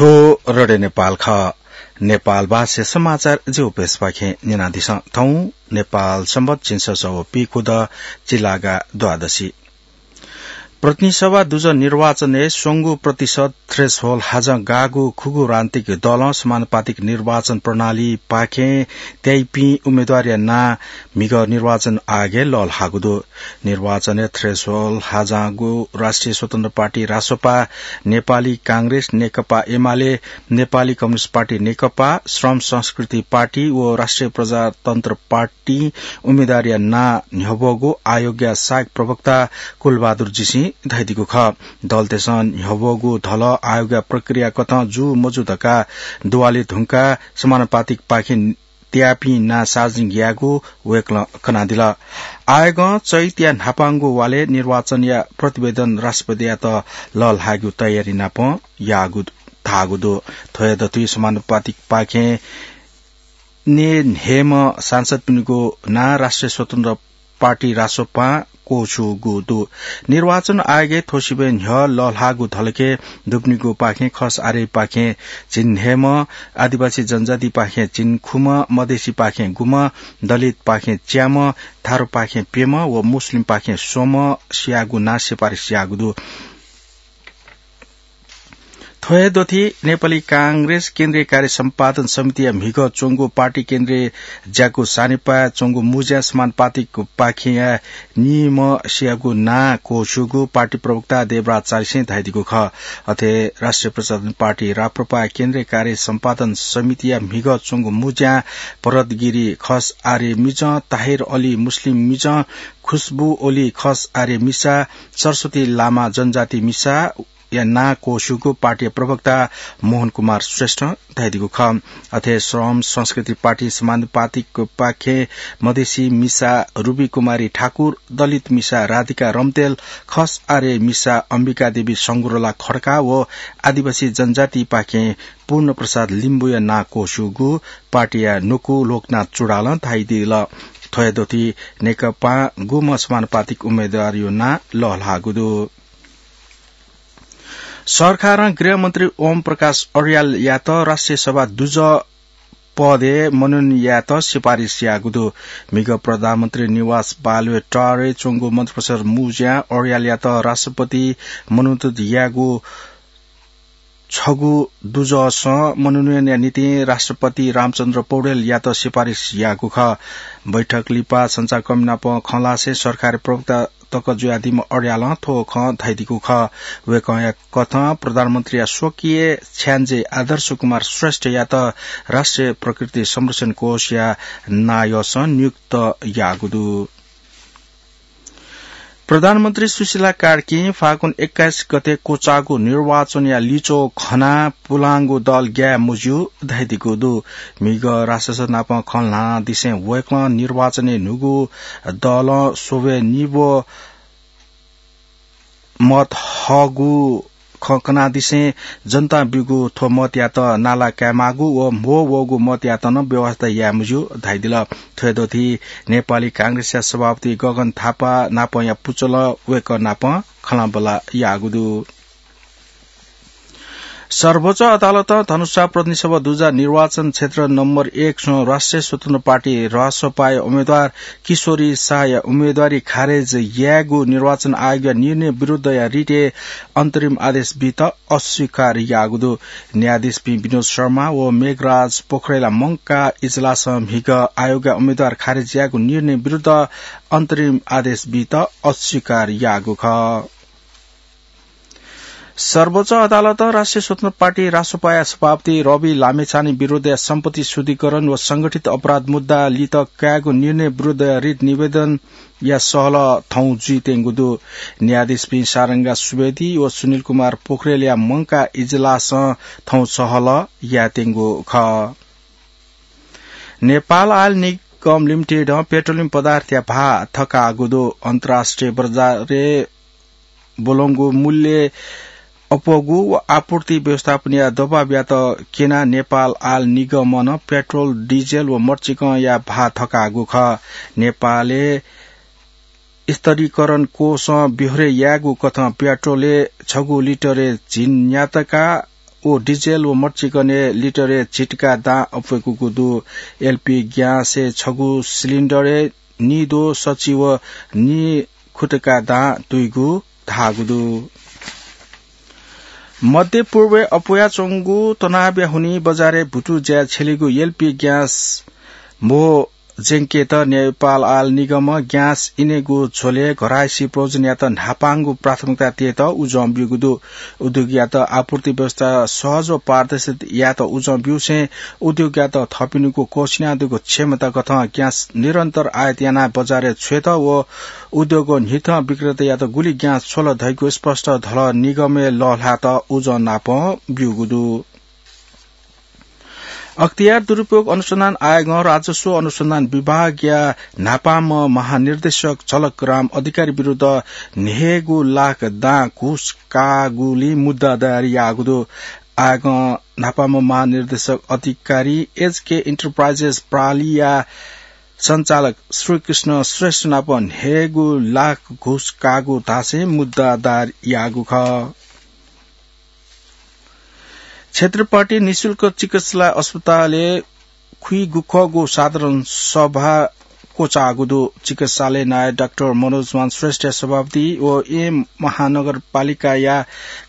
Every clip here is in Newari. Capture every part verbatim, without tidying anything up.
थ्व रेडियो नेपाल खः। नेपाल भाषा समाचार ज्यू पेशपाखें न्यनादिसँ। थौं नेपाल संवत झिंछसः व पीखुदँ चिलागा द्वादशी। प्रतिनिधि सभा दुजः निर्वाचनय् स्वंगू प्रतिशत threshold हाजं गाःगु खुगू राजनीतिक दलं समानुपातिक निर्वाचन प्रणालीपाखें त्याइपिं उम्मेद्वारया नां म्हिगः निर्वाचन आयोगय् लःल्हाःगु दु। निर्वाचनय् threshold हाजांगु राष्ट्रिय स्वतन्त्र पार्टी रासोपा, नेपाली कांग्रेस, नेकपा एमाले, नेपाली कम्युनिस्ट पार्टी नेकपा, श्रम संस्कृति पार्टी व राष्ट्रिय प्रजातन्त्र पार्टी उम्मेद्वारया नां न्ह्यब्वःगु आयोगया सहायक प्रवक्ता कुलबहादुर जीसिं धयादीगु खः। दलतय्सं न्ह्यब्वःगु धलः आयोगया प्रक्रिया कथं जू मजू धकाः दुवाले धुंकाः समानुपातिकपाखें त्याःपिं नां सार्वजनिक यायेगु वय्कलं कनादिल। आयोगं चैतया न्हापांगु वालय् निर्वाचनया प्रतिवेदन राष्ट्रपतियात लःल्हायेगु तयारी नाप याःगु धाःगु दु। थ्व हे दथुइ समानुपातिकपाखें नये न्हय्म्ह सांसदपिनिगु नां राष्ट्रिय स्वतन्त्र पार्टी रासोपां क्वछुगु दु। निर्वाचन आयोगय् थ्व सिबय् न्ह्यः लःल्हाःगु धलखय् दुपिनिगुपाखें खस आर्यपाखें झिंन्हय्म्ह, आदिवासी जनजातिपाखें झिंखुम्ह, मधेसीपाखें गुम्ह, दलितपाखें च्याम्ह, थारूपाखें प्यम्ह व मुस्लिमपाखें स्वम्ह स्याःगु नां सिफारिस याःगु दु। थ्व हे दथुइ नेपाली कांग्रेस केन्द्रीय कार्य सम्पादन समितिया म्हिगः च्वंगु पार्टी केन्द्रीय ज्याकू सानेपाय् च्वंगु मुँज्यां समानुपातिकपाखेंया निम्ह स्याःगु नां क्वछुगु पार्टी प्रवक्ता देवराज चालिसें धयादीगु खः। अथे राष्ट्रिय प्रजातन्त्र पार्टी राप्रपाया केन्द्रीय कार्य सम्पादन समितिया म्हिगः च्वंगु मुँज्यां भरत गिरी खस आर्य मिजं, ताहिर अली मुस्लिम मिजं, खुशबु ओली खस आर्य मिसा, सरस्वती लामा जनजाति मिसा, या नां क्वछुगु पार्टीया प्रवक्ता मोहन कुमार श्रेष्ठं धयादीगु खः। अथे श्रम संस्कृति पार्टी समानुपातिकपाखें मधेसी मिसा रुबी कुमारी ठाकुर, दलित मिसा राधिका रम्तेल, खस आर्य मिसा अम्बिका देवी संगुरला खड्का व आदिवासी जनजातिपाखें पूर्ण प्रसाद लिम्बुया नां क्वछुगु पार्टीया न्वकू लोकनाथ चुडालं धयादिल। थ्व हे दथुइ नेकपां गुम्ह समानुपातिक उम्मेद्वारया नां लःल्हाःगु दु। सरकारं गृहमन्त्री ओम प्रकाश अर्यालयात राष्ट्रिय सभा दुजः पदय् मनोनयन यायेत सिफारिस याःगु दु। म्हिगः प्रधानमन्त्री निवास बालुवे टहरय् च्वंगु मन्त्रिपरिषद् मुँज्यां अर्यालयात राष्ट्रपति मनोनीत यायेगु छगू दुजःसं मनोनयनया निंतिं राष्ट्रपति रामचन्द्र पौडेलयात सिफारिस याःगु खः। बैठक लिपा सञ्चारकर्मी नाप खँ ल्हासें सरकारी प्रवक्ता तक जुयादीम्ह अर्यालं थ्व खँ धयादीगु खः। वय्कःया कथं प्रधानमन्त्रीया स्वकीय छ्याञ्जे आदर्श कुमार श्रेष्ठयात राष्ट्रिय प्रकृति संरक्षण कोषया नायःसं नियुक्त याःगु दु। प्रधानमन्त्री सुशीला कार्कीं फागुन एक्काइस गते क्वचाःगु निर्वाचनया लिच्वः खनाः पुलांगु दल ग्याये मज्यू धयादीगु दु। म्हिगः रासस नाप खँ ल्हानादिसें वय्कलं निर्वाचनय् न्हूगु दलं स्वब्वय् निब्व मत हःगु खँ कनादिसें जनतां ब्यूगु थ्व मतयात नाला कायेमाःगु व म्हो वःगु मतयात नं व्यवस्था याये मज्यू धयादिल। थ्व हे दथुइ नेपाली कांग्रेसया सभापति गगन थापा नापंया पुचलं वय्कः नाप खँल्हाबल्हा याःगु दु। सर्वोच्च अदालतं धनुषा प्रतिनिधि सभा दुजः निर्वाचन क्षेत्र नम्बर एक स्वं राष्ट्रिय स्वतन्त्र पार्टी रासोपाया उम्मेद्वार किशोरी शाहया उम्मेद्वारी खारेज यायेगु निर्वाचन आयोगया निर्णय विरुद्धया रिटय् अन्तरिम आदेश बीत अस्वीकार याःगु दु। न्यायाधीशपिं विनोद शर्मा व मेघराज पोखरेलया मंकाः इजलासं म्हिगः आयोगया उम्मेद्वार खारेज यायेगु निर्णय विरुद्ध अन्तरिम आदेश बीत अस्वीकार याःगु खः। सर्वोच्च अदालतं राष्ट्रिय स्वतन्त्र पार्टी रासोपाया सभापति रवि लामिछाने विरुद्धया सम्पत्ति शुद्धिकरण व संगठित अपराध मुद्दा लित कायेगु निर्णय विरुद्धया रिट निवेदनया सहलह थौं जुइत्यंगु दु। न्यायाधीशपिं सारंगा सुवेदी व सुनिल कुमार पोखरेलया मंकाः इजलासं थौं सहलह यायेत्यंगु खः। नेपाल आयल निगम लिमिटेडं पेट्रोलियम पदार्थया भाः थकाःगु दु। अन्तर्राष्ट्रिय बजारय् ब्वलंगु मूल्य अप्वःगु व आपूर्ति व्यवस्थापनया दबावयात क्यनाः नेपाल आयल निगमं पेट्रोल, डिजेल व मरिचिकंया भाः थकाःगु खः। नेपालय् स्तरीकरण कोषं ब्यहोरे याःगु कथं पेट्रोलय् छगू लिटरय् झिंन्यातका व डिजेल व मर्चिकने लिटरय् झिटका दां अप्वय्‌कूगु दु। एलपी ग्यासय् छगू सिलिन्डरय् निद्वः सछि व निखुटका दां दुइगु धाःगु दु। मध्य पूर्वय् अप्वयाच्वंगु तनावया हुनिं बजारय् भुतु ज्याय् छ्यलीगु एलपी ग्यास म्हो ज्यंकेत नेपाल आयल निगमं ग्यास इनेगु झ्वलय् घरायसी प्रयोजनयात न्हापांगु प्राथमिकता तयेत उजं ब्यूगु दु। उद्योगयात आपूर्ति व्यवस्था सहज व पारदर्शी यायेत उजं ब्यूसें उद्योगयात थःपिनिगु क्वःछिनादीगु क्षमता कथं ग्यास निरन्तर आयात यानाः बजारय् छ्वयेत व उद्योगं न्हिथं विक्रेतायात गुलि ग्यास छ्वल धइगु स्पष्ट धलः निगमय् लःल्हायेत उजं नापं ब्यूगु दु। अख्तियार दुरुपयोग अनुसन्धान आयोगं राजस्व अनुसन्धान विभागया न्हापांम्ह महानिर्देशक झलकराम अधिकारी विरुद्ध न्हय्‌गू लाख दां घुस काःगुलिं मुद्दा दायर याःगु दु। आयोगं न्हापांम्ह महानिर्देशक अधिकारी एचके इन्टरप्राइजेस प्रालिया सञ्चालक श्रीकृष्ण श्रेष्ठ नाप न्हय्‌गू लाख घुस काःगु धासें मुद्दा दायर याःगु खः। क्षेत्रपाटी निशुल्क चिकित्सालय अस्पतालय् खुइगु खःगु साधारण सभा क्वचाःगु दु। चिकित्सालय नायः डाक्टर मनोजमान श्रेष्ठया सभापति व येँ महानगरपालिकाया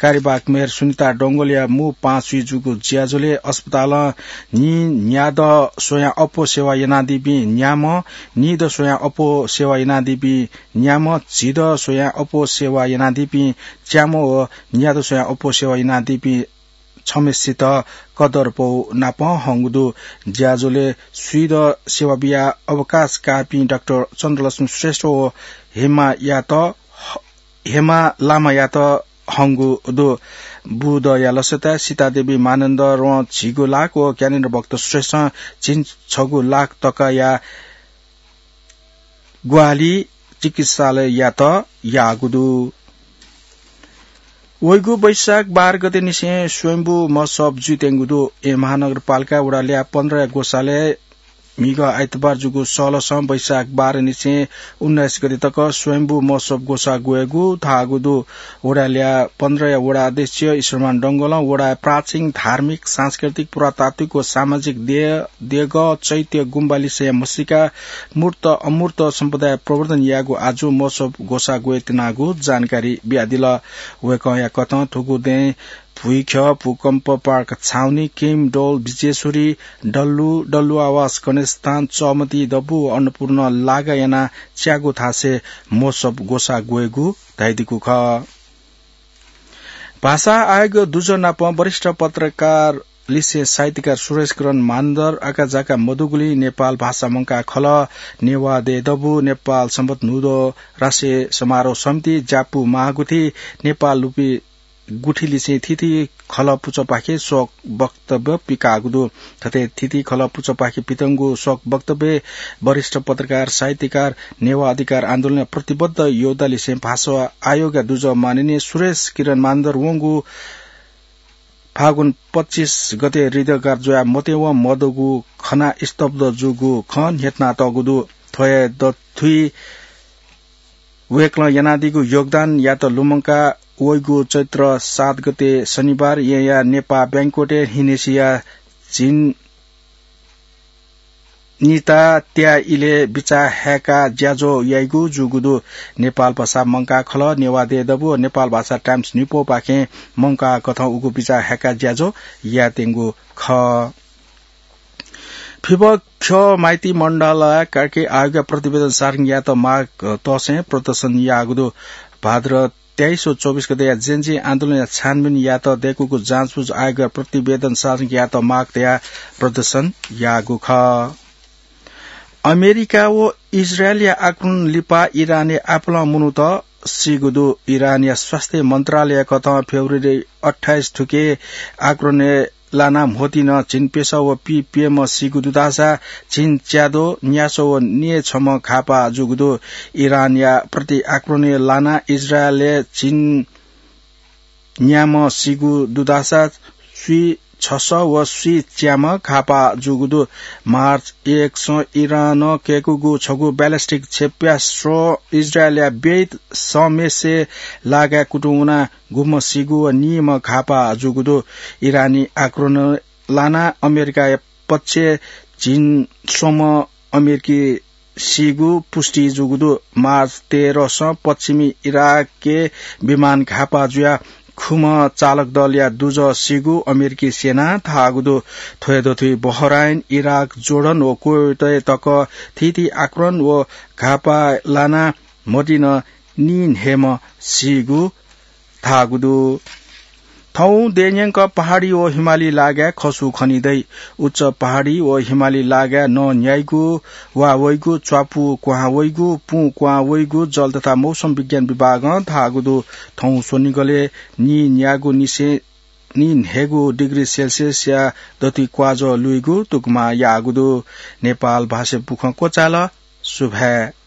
कार्यवाहक मेयर सुनिता डंगोलया मू पाँचुइ जूगु ज्याझ्वलय् अस्पतालं न्हि न्यादँ स्वयां अप्वः सेवा यानादीपिं न्याम्ह, निदँ स्वयां अप्वः सेवा यानादीपिं न्याम्ह, झिदँ स्वयां अप्वः सेवा यानादीपिं च्याम्ह व न्यादँ स्वयां अप्वः सेवा यानादीपिं छम्हेसित कदरपौ नाप हंगु दु। ज्याझ्वलय् स्वीदँ सेवा बियाः अवकाश काःपिं डाक्टर चन्द्रलक्ष्मी श्रेष्ठ व हेमायात, हेमा लामायात हंगु दु। बुदँया लसताय् सीतादेवी मानन्धरं झिगू लाख व ज्ञानेन्द्र भक्त श्रेष्ठं झिंछगू लाख तकाया ग्वाहालि चिकित्सालययात याःगु दु। वइगु वैशाख बाह्र गते निसें स्वयम्भू महोत्सव जुइत्यंगु दु। येँ महानगरपालिका वडा ल्याः पन्ध्रया ग्वसालय् म्हिगः आइतबार जूगु सलसं वैशाख बाह्र निसें उन्नाइस गते तक स्वयम्भू महोत्सव ग्वसाः ग्वयेगु धाःगु दु। वडा ल्याः पन्ध्रया वडा अध्यक्ष ईश्वरमान डंगोलं वडाय् प्राचीन धार्मिक, सांस्कृतिक, पुरातात्विक व सामाजिक देय्, देगः, चैत्य, गुम्बा लिसें म्हसीका, मूर्त, अमूर्त सम्पदाया प्रवर्धन यायेगु आजु महोत्सव ग्वसाः ग्वयेत्यनागु जानकारी बियादिल। वय्‌कःया कथं थुगु दँय् भुइख्यः, भूकम्प पार्क छाउनी, किम, डौल, विजेश्वरी, डल्लु, डल्लु आवास, गणेशस्थान, चःमति, दबू व अन्नपूर्ण लागा यानाः च्यागू थासय् महोत्सव ग्वसाः ग्वयेगु धयादीगु खः। भाषा आयोग दुजः नाप वरिष्ठ पत्रकार लिसें साहित्यकार सुरेश किरण मानन्धर आकाझाका मदुगुलिं नेपाल भाषा मंकाः खलः। नेवाः देय् दबू, नेपाल संवत् न्हूदँ राष्ट्रिय समारोह समिति, ज्यापू महागुथि, नेपाल लुपि गुथि लिसें थीथी खलः पुचःपाखे शोक वक्तव्य पिकाःगु दु। थथे थीथी खलः पुचःपाखे पितंगु शोक वक्तव्यय् वरिष्ठ पत्रकार, साहित्यकार, नेवाः अधिकार आन्दोलनय् प्रतिबद्ध योद्धा लिसें भाषा आयोगया दुजः माननीय सुरेश किरण मानन्धर वंगु फागुन पच्चिस गते हृदयघात जुयाः मत्यवं मदुगु खनाः स्तब्ध जूगु खँ न्ह्यथनातःगु दु। थ्व हे दथुइ वय्‌कलं यानादीगु योगदानयात लुमंकाः वइगु चैत्र सात गते शनिबार येँया नेपाः बैंक्वेटय् न्हिनेसिया झिंनिता त्याः इलय् बिचाः हाय्‌काः ज्याझ्वः याइगु जूगु दु। नेपाल भाषा मंकाः खलः, नेवाः देय् दबू व नेपाल भाषा टाइम्स न्ह्यइपुपाखें मंकाः कथं उगु बिचाः हाय्‌काः ज्याझ्वः यायेत्यंगु खः। फिफा ख्यः माइती मण्डलय् कार्की आयोगया प्रतिवेदन सार्वजनिक यायेत माग तसें प्रदर्शन याःगु दु। भाद्र तेइस व चौबिस गतेया जेनजी आन्दोलनया छानबिन यायेत दय्‌कूगु जाँचबुझ आयोगया प्रतिवेदन सार्वजनिक यायेत माग तयाः प्रदर्शन याःगु खः। अमेरिका व इजरायलया आक्रमण लिपा इरानय् आपालं मनूत सीगु दु। इरानया स्वास्थ्य मन्त्रालयया कथं फेब्रुअरी अट्ठाइस थुके आक्रमणय् लानाः म्होतिं झिंप्यसः व पीप्यम्ह सीगु दुधाःसा झिंच्याद्वः, न्यासः व न्येछम्ह घाःपाः जूगु दु। इरानया प्रति आक्रमणय् लानाः इजरायलय् झिंन्याम्ह सीगु दुधाःसा स्वीछ छस व स्वीच्याम्ह घापा जूगु दु। मार्च एकसं इरानं कय्कूगु छगू ब्यालिस्टिक क्षेप्यास्त्र इजरायलया बेइत समेसे लागाय् कुतुं वना गुम्ह सीगु व नीम्ह घापा जूगु दु। इरानी आक्रमण लाना अमेरिकाया पक्ष झिंस्वम्ह अमेरिकी सीगु पुष्टि जूगु दु। मार्च तेह्रसं पश्चिमी इराकय् विमान घापा जुया खुम्ह चालक दलया दुजः सीगु अमेरिकी सेनां धाःगु दु। थ्वया दथुइ बहराइन, इराक, जोर्डन व कुवेतय् तक थीथी आक्रमण व घापा लाना मदिन नीन्हय्म्ह सीगु धाःगु दु। थौं देय्‌न्यंक पहाडी व हिमाली लागाय् खसु खनी दइ। उच्च पहाडी व हिमाली लागाय् नं न्याइगु वा वइगु, च्वापु क्वहां वइगु, पुं क्वहां वइगु जल तथा मौसम विज्ञान विभागं धाःगु दु। थौं स्वनिगलय् नीन्यागू निसें नीन्हय्गू डिग्री सेल्सियसया दथुइ क्वाजः लुइगु तुकमा याःगु दु। नेपाल भाषा बुखँ क्वचाल। सुभाय्।